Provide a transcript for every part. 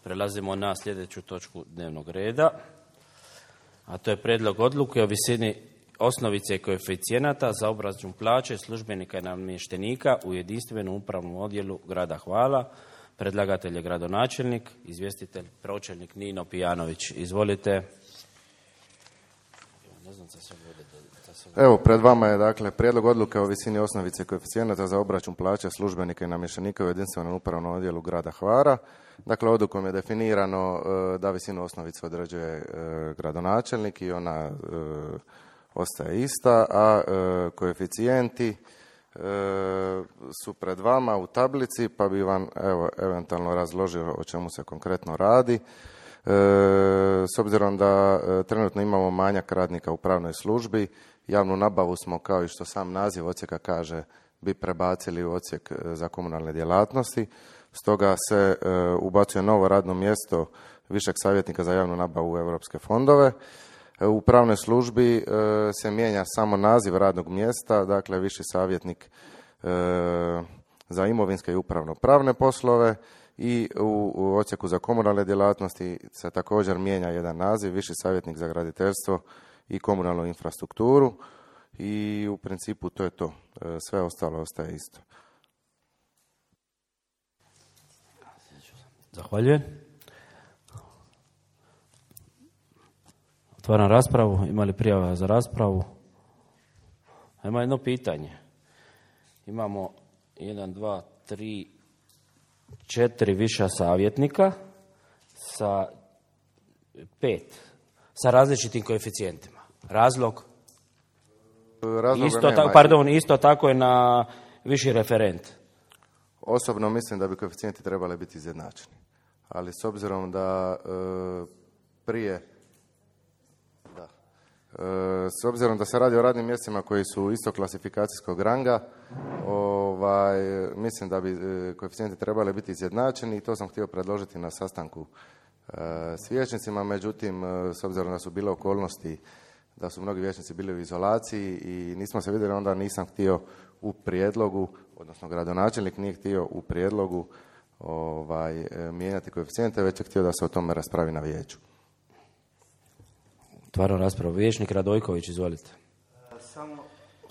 Prelazimo na sljedeću točku dnevnog reda, a to je prijedlog odluke o visini osnovice i koeficijenata za obračun plaće službenika i namještenika u jedinstvenom upravnom odjelu grada Hvala. Predlagatelj je gradonačelnik, izvjestitelj pročelnik Nino Pijanović. Izvolite. Evo, pred vama je dakle prijedlog odluke o visini osnovice i koeficijenata za obračun plaća službenika i namještenika u jedinstvenom upravnom odjelu grada Hvara. Dakle, odlukom je definirano da visinu osnovice određuje gradonačelnik i ona ostaje ista, a koeficijenti su pred vama u tablici, pa bi vam eventualno razložio o čemu se konkretno radi. S obzirom da trenutno imamo manjak radnika u pravnoj službi, javnu nabavu smo, kao i što sam naziv odsjeka kaže, bi prebacili u odsjek za komunalne djelatnosti. Stoga se ubacuje novo radno mjesto višeg savjetnika za javnu nabavu u europske fondove. U pravnoj službi se mijenja samo naziv radnog mjesta, dakle viši savjetnik za imovinske i upravno-pravne poslove, i u odsjeku za komunalne djelatnosti se također mijenja jedan naziv, viši savjetnik za graditeljstvo i komunalnu infrastrukturu, i u principu to je to. Sve ostalo ostaje isto. Zahvaljujem. Otvaram raspravu. Ima li prijava za raspravu? Ima jedno pitanje. Imamo 1, 2, 3, 4 viša savjetnika sa 5, sa različitim koeficijentima. Razlog? Isto tako je na viši referent. Osobno mislim da bi koeficijenti trebali biti izjednačeni. Ali s obzirom da s obzirom da se radi o radnim mjestima koji su isto klasifikacijskog ranga, mislim da bi koeficijenti trebali biti izjednačeni, i to sam htio predložiti na sastanku s vijećnicima. Međutim, s obzirom da su bile okolnosti da su mnogi vijećnici bili u izolaciji i nismo se vidjeli, onda nisam htio u prijedlogu, odnosno gradonačelnik nije htio u prijedlogu mijenjati koeficijente, već je htio da se o tome raspravi na vijeću. Otvaram raspravu. Vijećnik Radojković, izvolite.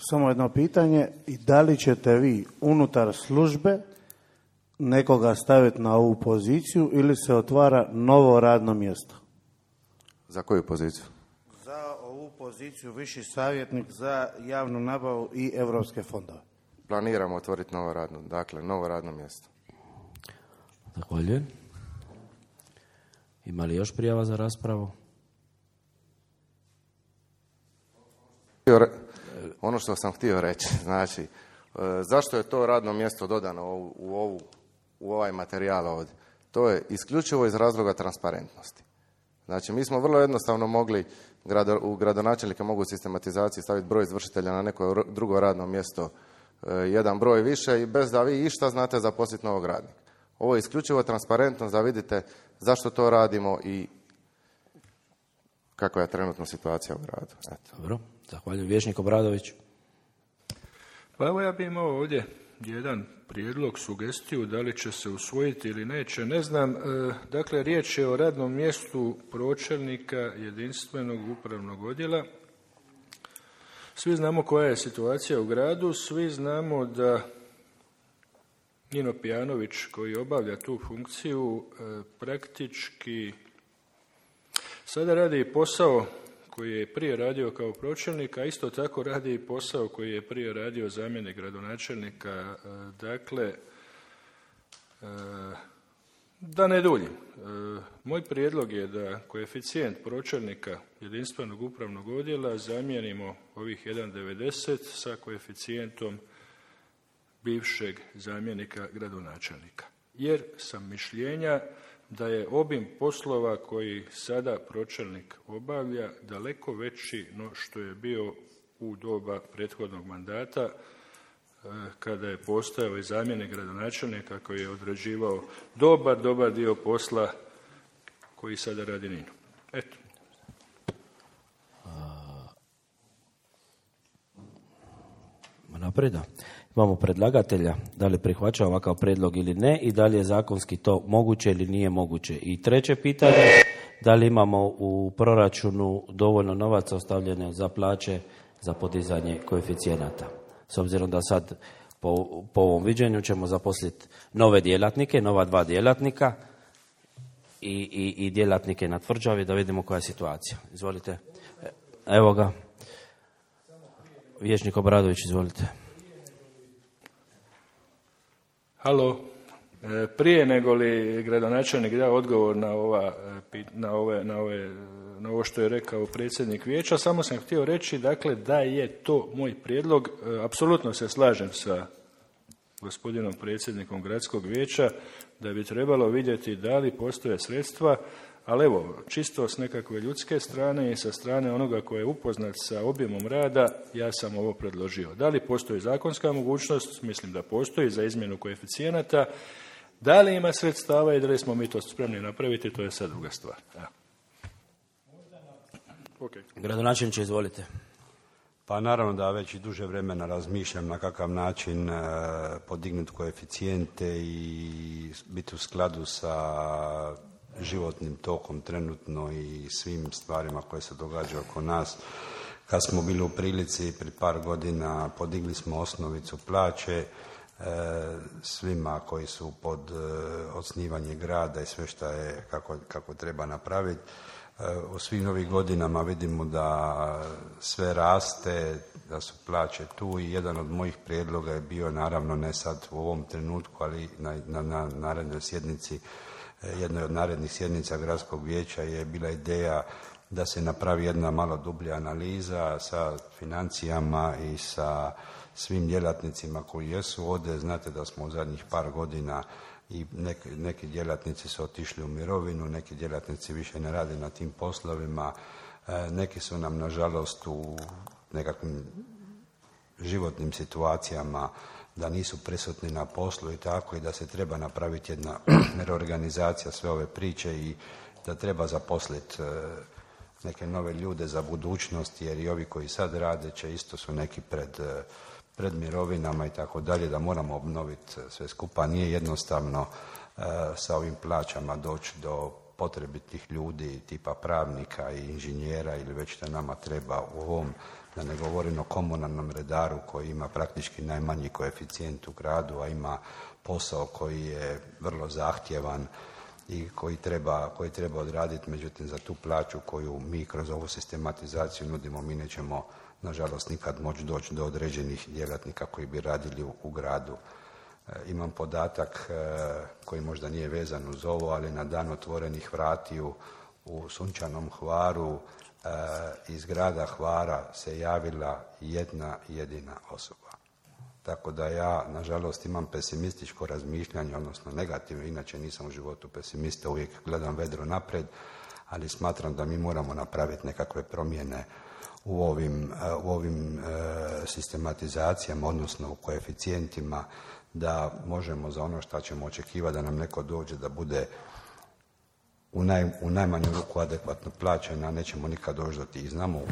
Samo jedno pitanje. I da li ćete vi unutar službe nekoga staviti na ovu poziciju ili se otvara novo radno mjesto? Za koju poziciju? Za ovu poziciju viši savjetnik za javnu nabavu i europske fondove. Planiramo otvoriti novo radno mjesto. Zahvaljujem. Ima li još prijava za raspravu? Ono što sam htio reći, znači, zašto je to radno mjesto dodano u ovaj materijal ovdje? To je isključivo iz razloga transparentnosti. Znači, mi smo vrlo jednostavno mogli, u gradonačelnike mogu u sistematizaciji staviti broj izvršitelja na neko drugo radno mjesto, jedan broj više, i bez da vi išta znate zaposliti novog radnika. Ovo je isključivo transparentnost, da vidite zašto to radimo i kakva je trenutno situacija u gradu. Eto. Dobro, zahvaljujem. Vijećnik Obradović. Pa evo, ja bih imao ovdje jedan prijedlog, sugestiju, da li će se usvojiti ili neće, ne znam. Dakle, riječ je o radnom mjestu pročelnika jedinstvenog upravnog odjela. Svi znamo koja je situacija u gradu, svi znamo da Nino Pijanović, koji obavlja tu funkciju, praktički sada radi posao koji je prije radio kao pročelnik, a isto tako radi i posao koji je prije radio zamjenik gradonačelnika. Dakle, da ne duljim, moj prijedlog je da koeficijent pročelnika jedinstvenog upravnog odjela zamijenimo ovih 1,90 sa koeficijentom bivšeg zamjenika gradonačelnika. Jer sam mišljenja da je obim poslova koji sada pročelnik obavlja daleko veći no što je bio u doba prethodnog mandata, kada je postojao i zamjenik gradonačelnika koji je odrađivao dobar dio posla koji sada radi Nino. Eto. naprijed. Imamo predlagatelja, da li prihvaća ovakav prijedlog ili ne i da li je zakonski to moguće ili nije moguće. I treće pitanje, da li imamo u proračunu dovoljno novaca ostavljene za plaće za podizanje koeficijenata. S obzirom da sad po ovom viđenju ćemo zaposliti nove djelatnike, nova 2 djelatnika i djelatnike na tvrđavi da vidimo koja je situacija. Izvolite. Evo ga. Vijećnik Obradović, izvolite. Halo. Prije nego li gradonačelnik da odgovor na ovo što je rekao predsjednik vijeća, samo sam htio reći dakle, da je to moj prijedlog. Apsolutno se slažem sa gospodinom predsjednikom gradskog vijeća da bi trebalo vidjeti da li postoje sredstva, ali evo, čisto s nekakve ljudske strane i sa strane onoga koji je upoznat sa objemom rada, ja sam ovo predložio. Da li postoji zakonska mogućnost? Mislim da postoji za izmjenu koeficijenata. Da li ima sredstava i da li smo mi to spremni napraviti, to je sad druga stvar. Ja. Okay. Gradonačelniče, izvolite. Pa naravno da već i duže vremena razmišljam na kakav način podignuti koeficijente i biti u skladu sa životnim tokom trenutno i svim stvarima koje se događaju oko nas. Kad smo bili u prilici pred par godina, podigli smo osnovicu plaće svima koji su pod osnivanje grada i sve što je kako treba napraviti. U svim ovih godinama vidimo da sve raste, da su plaće tu i jedan od mojih prijedloga je bio, naravno ne sad u ovom trenutku, ali na narednoj sjednici, jednoj od narednih sjednica gradskog vijeća je bila ideja da se napravi jedna malo dublja analiza sa financijama i sa svim djelatnicima koji jesu ovdje. Znate da smo u zadnjih par godina i neki djelatnici su otišli u mirovinu, neki djelatnici više ne rade na tim poslovima, neki su nam nažalost u nekakvim životnim situacijama da nisu prisutni na poslu i tako, i da se treba napraviti jedna reorganizacija sve ove priče i da treba zaposliti neke nove ljude za budućnost, jer i ovi koji sad rade će isto su neki pred mirovinama i tako dalje, da moramo obnoviti sve skupa. Nije jednostavno sa ovim plaćama doći do potrebitih ljudi tipa pravnika i inženjera ili već što nama treba u ovom, da ne govorim o komunalnom redaru koji ima praktički najmanji koeficijent u gradu, a ima posao koji je vrlo zahtjevan i koji treba odraditi, međutim za tu plaću koju mi kroz ovu sistematizaciju nudimo, mi nećemo nažalost nikad moći doći do određenih djelatnika koji bi radili u gradu. Imam podatak koji možda nije vezan uz ovo, ali na dan otvorenih vratiju u Sunčanom Hvaru iz grada Hvara se javila jedna jedina osoba. Tako da ja, nažalost, imam pesimističko razmišljanje, odnosno negativno, inače nisam u životu pesimista, uvijek gledam vedro naprijed, ali smatram da mi moramo napraviti nekakve promjene u ovim sistematizacijama, odnosno u koeficijentima, da možemo za ono što ćemo očekivati da nam neko dođe da bude u najmanju ruku adekvatno plaćen, a nećemo nikad doći do tih. Znamo u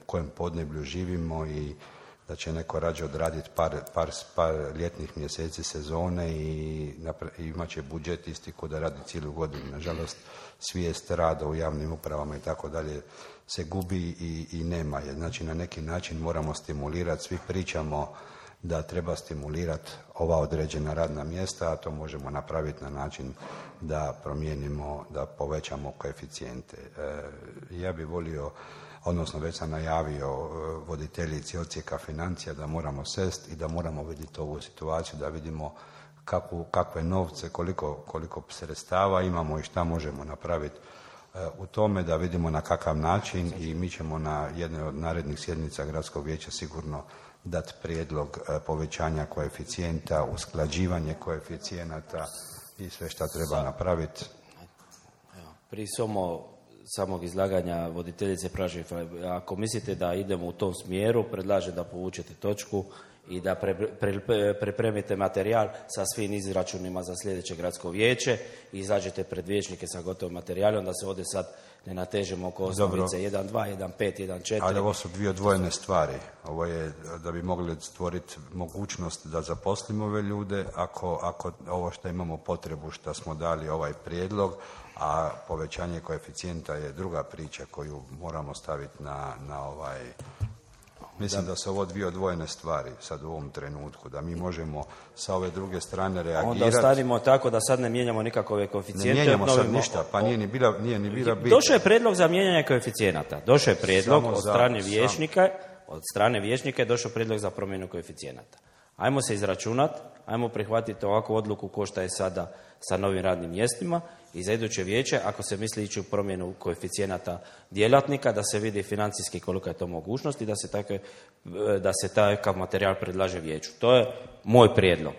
kojem podneblju živimo i da će neko rađe odraditi par ljetnih mjeseci sezone i imat će budžet isti ko da radi cijelu godinu. Nažalost, svijest rada u javnim upravama i tako dalje se gubi i nema je. Znači, na neki način moramo stimulirati, svi pričamo da treba stimulirati ova određena radna mjesta, a to možemo napraviti na način da promijenimo, da povećamo koeficijente. Ja bih volio, odnosno već sam najavio voditeljici odsjeka financija da moramo sest i da moramo vidjeti ovu situaciju, da vidimo kakve novce, koliko sredstava imamo i šta možemo napraviti u tome, da vidimo na kakav način, i mi ćemo na jednoj od narednih sjednica gradskog vijeća sigurno dati prijedlog povećanja koeficijenta, usklađivanje koeficijenata i sve šta treba napraviti. Prije samog izlaganja voditeljice Pražev, ako mislite da idemo u tom smjeru, predlažem da povučete točku i da pripremite materijal sa svim izračunima za sljedeće gradsko vijeće i izađete pred vijećnike sa gotovim materijalom, da se ovdje sad ne natežemo oko osnovice 1.2, 1.5, 1.4. Ali ovo su dvije odvojene stvari. Ovo je da bi mogli stvoriti mogućnost da zaposlimo ove ljude, ako ovo što imamo potrebu, što smo dali ovaj prijedlog, a povećanje koeficijenta je druga priča koju moramo staviti na ovaj... Mislim da su ovo dvije odvojene stvari sad u ovom trenutku, da mi možemo sa ove druge strane reagirati. Onda ostavimo tako da sad ne mijenjamo nikakove koeficijente. Ne mijenjamo sad ništa, pa nije ni bila bit. Došao je predlog za mijenjanje koeficijenata. Došao je predlog od strane vijećnika je došao predlog za promjenu koeficijenata. Ajmo se izračunati, ajmo prihvatiti ovakvu odluku ko što je sada sa novim radnim mjestima i za iduće vijeće, ako se misli ići u promjenu koeficijenata djelatnika, da se vidi financijski kolika je to mogućnost i da se takav materijal predlaže vijeću. To je moj prijedlog.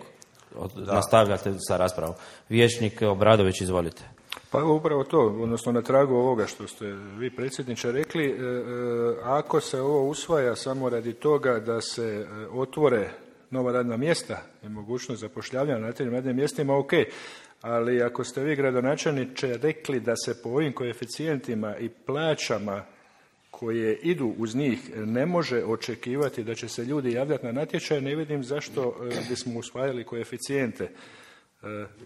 Nastavljate sa raspravom. Vijećnik Obradović, izvolite. Pa upravo to, odnosno na tragu ovoga što ste vi, predsjedniče, rekli, ako se ovo usvaja samo radi toga da se otvore nova radna mjesta i mogućnost zapošljavanja na tim radnim mjestima, ok, ali ako ste vi, gradonačelniče, rekli da se po ovim koeficijentima i plaćama koje idu uz njih ne može očekivati da će se ljudi javljati na natječaj, ne vidim zašto bismo usvajali koeficijente.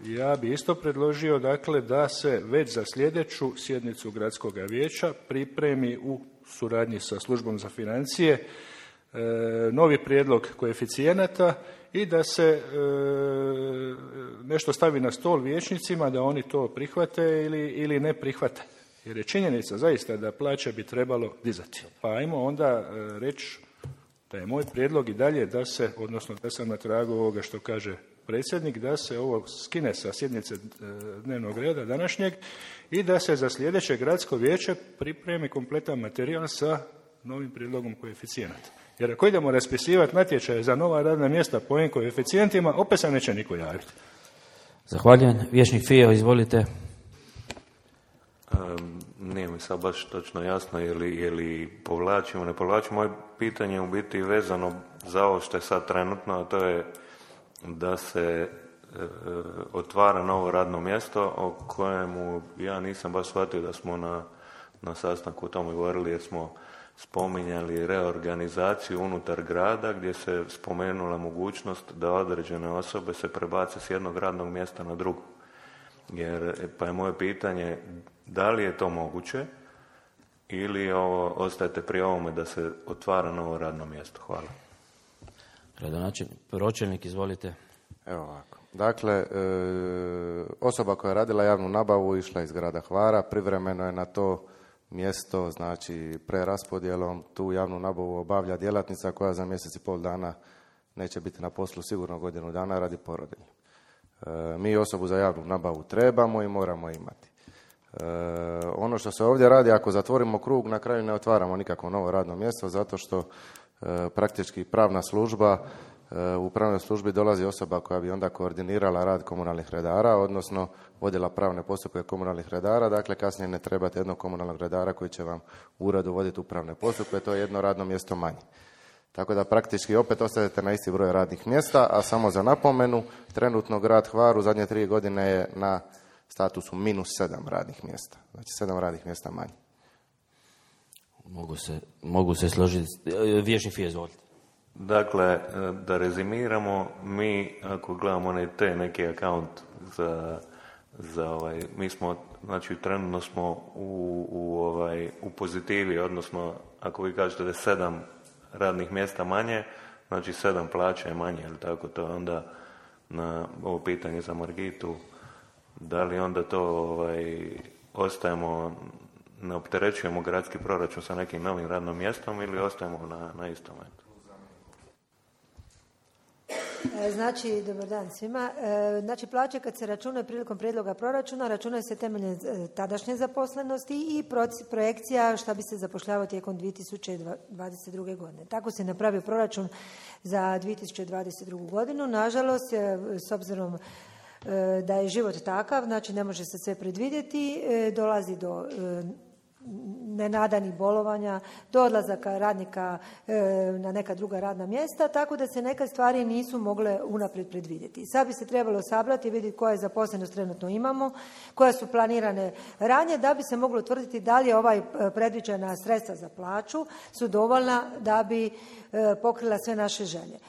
Ja bi isto predložio, dakle, da se već za sljedeću sjednicu gradskog vijeća pripremi u suradnji sa službom za financije novi prijedlog koeficijenata i da se nešto stavi na stol vijećnicima da oni to prihvate ili ne prihvate. Jer je činjenica zaista da plaće bi trebalo dizati. Pa ajmo onda reći da je moj prijedlog i dalje da se, odnosno da sam na tragu ovoga što kaže predsjednik, da se ovo skine sa sjednice dnevnog reda današnjeg i da se za sljedeće gradsko vijeće pripremi kompletan materijal sa novim prijedlogom koeficijenata. Jer ako idemo raspisivati natječaje za nova radna mjesta po ovim koeficijentima, opet se neće niko javiti. Zahvaljujem. Vijećnik Fijo, izvolite. Nije mi sad baš točno jasno je li povlačimo, ne povlačimo. Moje pitanje je u biti vezano za ovo što je sad trenutno, a to je da se otvara novo radno mjesto o kojemu ja nisam baš shvatio da smo na sastanku o tome govorili, jer smo spominjali reorganizaciju unutar grada gdje se spomenula mogućnost da određene osobe se prebace s jednog radnog mjesta na drugo. Pa je moje pitanje, da li je to moguće ili ostajete pri ovome da se otvara novo radno mjesto? Hvala. Pročelnik, izvolite. Evo ovako. Dakle, osoba koja je radila javnu nabavu išla iz grada Hvara, privremeno je na to mjesto, znači preraspodjelom tu javnu nabavu obavlja djelatnica koja za mjesec i pol dana neće biti na poslu sigurno godinu dana radi porodiljnog. Mi osobu za javnu nabavu trebamo i moramo imati. Ono što se ovdje radi, ako zatvorimo krug, na kraju ne otvaramo nikakvo novo radno mjesto, zato što praktički pravna služba, u pravnoj službi dolazi osoba koja bi onda koordinirala rad komunalnih redara, odnosno vodila pravne postupke komunalnih redara, dakle kasnije ne trebate jednog komunalnog redara koji će vam u uredu voditi upravne postupke, to je jedno radno mjesto manje. Tako da praktički opet ostajete na isti broj radnih mjesta, a samo za napomenu, trenutno grad Hvar u zadnje 3 godine je na statusu -7 radnih mjesta, znači 7 radnih mjesta manje. Mogu se složiti. Vijećnik Fijo, izvolite. Dakle, da rezimiramo, mi ako gledamo neki akaunt mi smo, znači trenutno smo u pozitivi, odnosno ako vi kažete da je 7 radnih mjesta manje, znači 7 plaća je manje, ili tako, to je onda na ovo pitanje za Margitu, da li onda to ostajemo, ne opterećujemo gradski proračun sa nekim novim radnom mjestom ili ostajemo na istom metu? Znači, dobar dan svima. Znači, plaće kad se računaju prilikom prijedloga proračuna, računaju se temeljem tadašnje zaposlenosti i projekcija šta bi se zapošljavao tijekom 2022. godine. Tako se napravi proračun za 2022. godinu. Nažalost, s obzirom da je život takav, znači ne može se sve predvidjeti, dolazi do nenadanih bolovanja, do odlazaka radnika na neka druga radna mjesta, tako da se neke stvari nisu mogle unaprijed predvidjeti. Sad bi se trebalo sabrati i vidjeti koja je zaposlenost trenutno imamo, koja su planirane ranije, da bi se moglo utvrditi da li je predviđena sredstva za plaću su dovoljna da bi pokrila sve naše želje.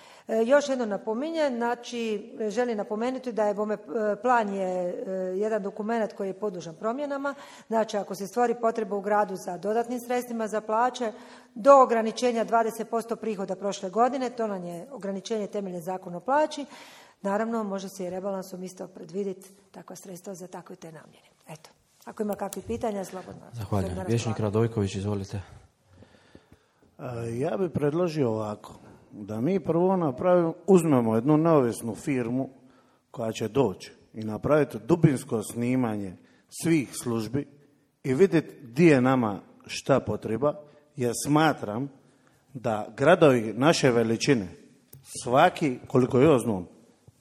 Još jedno napominjem, znači želim napomenuti da je plan je jedan dokument koji je podložan promjenama, znači ako se stvori potreba u gradu za dodatnim sredstvima za plaće, do ograničenja 20% prihoda prošle godine, to nam je ograničenje temeljem Zakona o plaći, naravno može se i rebalansom isto predvidjeti takva sredstva za takve te namjene. Eto, ako ima kakvih pitanja, slobodno. Zahvaljujem. Vijećnik Radojković, izvolite. Ja bih predložio ovako, da mi prvo uzmemo jednu neovisnu firmu koja će doći i napraviti dubinsko snimanje svih službi i vidjeti gdje je nama šta potreba, jer smatram da gradovi naše veličine, svaki, koliko ja znam,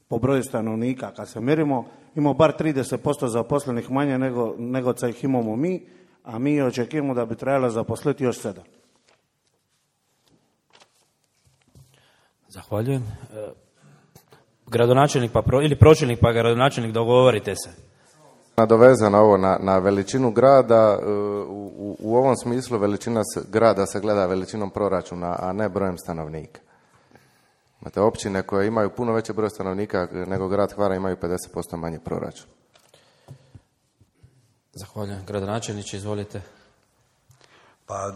po broju stanovnika, kad se mjerimo, imamo bar 30% zaposlenih manje nego što ih imamo mi, a mi očekujemo da bi trebalo zaposliti još 7. Zahvaljujem. Gradonačelnik ili pročelnik pa gradonačelnik, dogovorite se. Nadovezano ovo na veličinu grada, u ovom smislu veličina grada se gleda veličinom proračuna, a ne brojem stanovnika. Imate općine koje imaju puno veći broj stanovnika nego grad Hvara, imaju 50% manji proračun. Zahvaljujem. Gradonačelniče, izvolite. Pa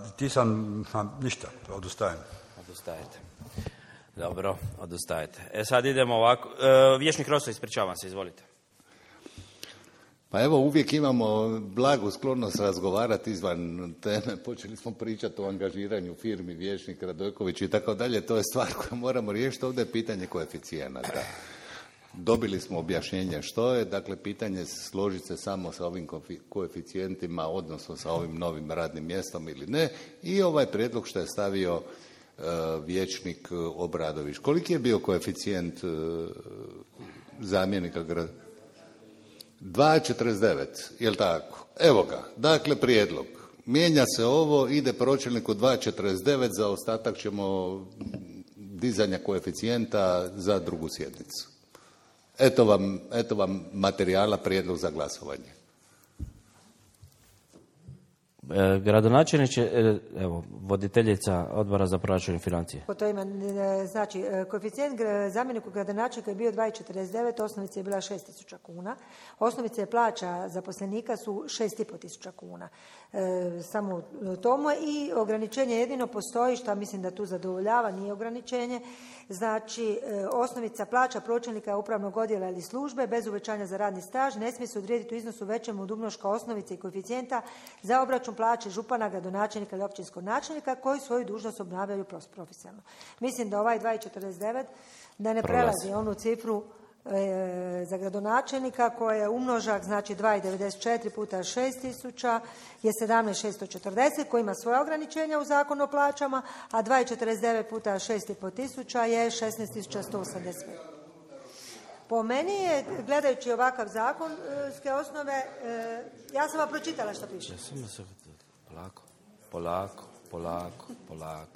ništa, odustajem. Odustajete. Dobro, odustajete. Sad idemo ovako. Vijećnik Roso, ispričavam se, izvolite. Pa evo, uvijek imamo blagu sklonost razgovarati izvan teme. Počeli smo pričati o angažiranju firmi, vijećnik Radojković i tako dalje. To je stvar koju moramo riješiti. Ovdje je pitanje koeficijenata. Dobili smo objašnjenje što je. Dakle, pitanje složiti se samo sa ovim koeficijentima, odnosno sa ovim novim radnim mjestom ili ne. I ovaj prijedlog što je stavio vijećnik Obradović. Koliki je bio koeficijent zamjenika grada? 2,49, jel tako? Evo ga, dakle prijedlog. Mijenja se ovo, ide pročelniku 2,49, za ostatak ćemo dizanja koeficijenta za drugu sjednicu. Eto vam materijala, prijedlog za glasovanje. Gradonačelniče, evo, voditeljica Odbora za proračun i financije. Po to ima, znači, koeficijent zamjeniku gradonačelnika je bio 2,49, osnovica je bila 6.000 kuna. Osnovice plaća zaposlenika su 6.500 kuna. Samo tomu i ograničenje jedino postoji, što mislim da tu zadovoljava, nije ograničenje. Znači, osnovica plaća pročelnika upravnog odjela ili službe bez uvećanja za radni staž ne smije se odrediti u iznosu većem od umnoška osnovice i koeficijenta za obračun plaće župana, gradonačelnika ili općinskog načelnika koji svoju dužnost obnavljaju profesionalno. Mislim da ovaj 2,49 da ne prelazi onu cifru za gradonačelnika koja je umnožak, znači 2,94 puta 6.000 je 17.640 koji ima svoje ograničenja u Zakonu o plaćama, a 2,49 puta 6.500 je 16.185. Po meni je, gledajući ovakav zakonske osnove, ja sam vam pročitala što piše. Polako.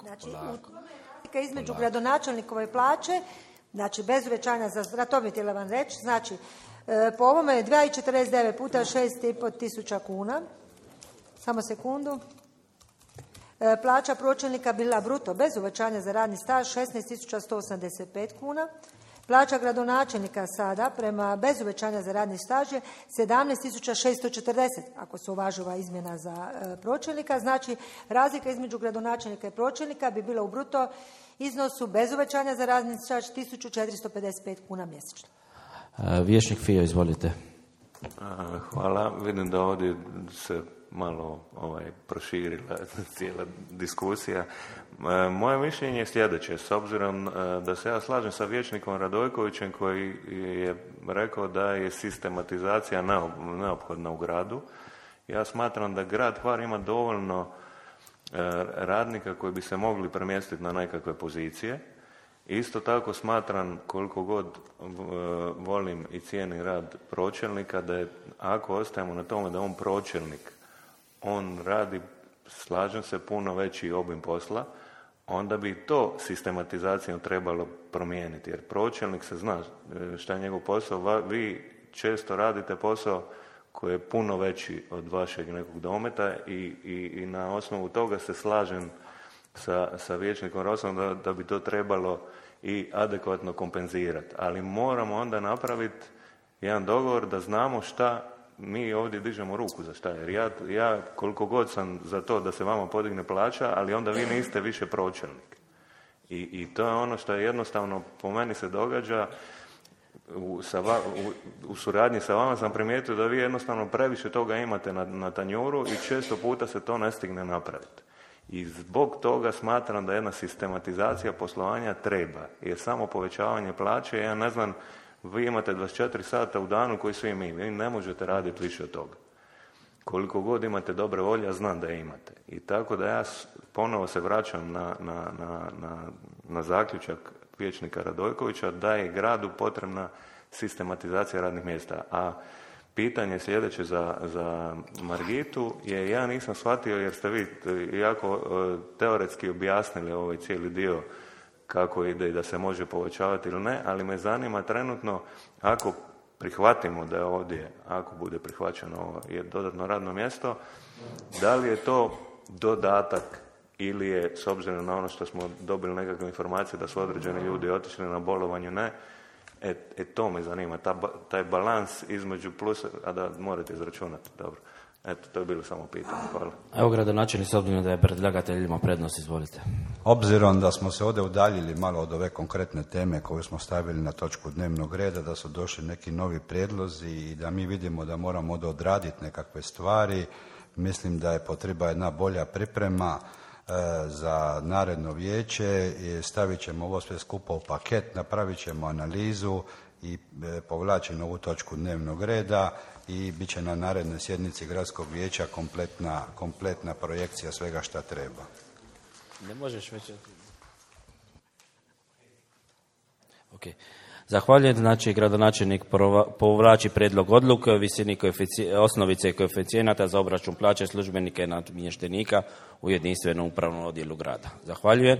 Znači, između gradonačelnikove plaće, znači bez uvećanja za to bi htjela vam reći, znači po ovome je 2,49 puta 6.500 kuna, samo sekundu, plaća pročelnika bila bruto bez uvećanja za radni staž 16.185 kuna, plaća gradonačelnika sada prema bez uvećanja za radni staž je 17.640 ako se uvaži ova izmjena za pročelnika, znači razlika između gradonačelnika i pročelnika bi bila u bruto iznosu bez uvećanja za radni staž 1.455 kuna mjesečno. Vijećnik Fio, izvolite. Hvala. Vidim da ovdje se malo proširila cijela diskusija. Moje mišljenje je sljedeće. S obzirom da se ja slažem sa vijećnikom Radojkovićem koji je rekao da je sistematizacija neophodna u gradu, ja smatram da grad Hvar ima dovoljno radnika koji bi se mogli premjestiti na nekakve pozicije. Isto tako smatram, koliko god volim i cijenim rad pročelnika, da je, ako ostajemo na tome da on pročelnik, on radi slažem se, puno veći obim posla, onda bi to sistematizacijom trebalo promijeniti. Jer pročelnik se zna šta je njegov posao. Vi često radite posao koji je puno veći od vašeg nekog dometa i na osnovu toga se slažem sa vijećnikom Rosom da bi to trebalo i adekvatno kompenzirati. Ali moramo onda napraviti jedan dogovor da znamo šta mi ovdje dižemo ruku za šta. Jer ja koliko god sam za to da se vama podigne plaća, ali onda vi niste više pročelnik. I to je ono što je jednostavno po meni se događa. U suradnji sa vama sam primijetio da vi jednostavno previše toga imate na tanjuru i često puta se to ne stigne napraviti. I zbog toga smatram da jedna sistematizacija poslovanja treba. Jer samo povećavanje plaće, ja ne znam, vi imate 24 sata u danu koji svi mi. Vi ne možete raditi više od toga. Koliko god imate dobre volje, ja znam da je imate. I tako da ja ponovo se vraćam na zaključak vijećnika Radojkovića da je gradu potrebna sistematizacija radnih mjesta. A pitanje sljedeće za Margitu je, ja nisam shvatio jer ste vi jako teoretski objasnili ovaj cijeli dio kako ide i da se može povećavati ili ne, ali me zanima trenutno ako prihvatimo da je ovdje, ako bude prihvaćeno ovo je dodatno radno mjesto, da li je to dodatak ili je, s obzirom na ono što smo dobili nekakve informacije da su određeni ljudi otišli na bolovanju, ne, to me zanima, taj balans između plusa, a da morate izračunati, dobro. Eto, to je bilo samo pitanje, hvala. Evo, gradonačelnik, s obzirom da je predlagatelj ima prednost, izvolite. Obzirom da smo se ovdje udaljili malo od ove konkretne teme koju smo stavili na točku dnevnog reda, da su došli neki novi prijedlozi i da mi vidimo da moramo odraditi nekakve stvari, mislim da je potrebna jedna bolja priprema za naredno vijeće i stavit ćemo ovo sve skupa u paket, napravit ćemo analizu i povlačimo ovu točku dnevnog reda i bit će na narednoj sjednici gradskog vijeća kompletna projekcija svega šta treba. Ne možeš već... Ok. Zahvaljujem, znači gradonačelnik povlači prijedlog odluke o visini osnovice i koeficijenata za obračun plaće službenika i namještenika u jedinstvenom upravnom odjelu grada. Zahvaljujem.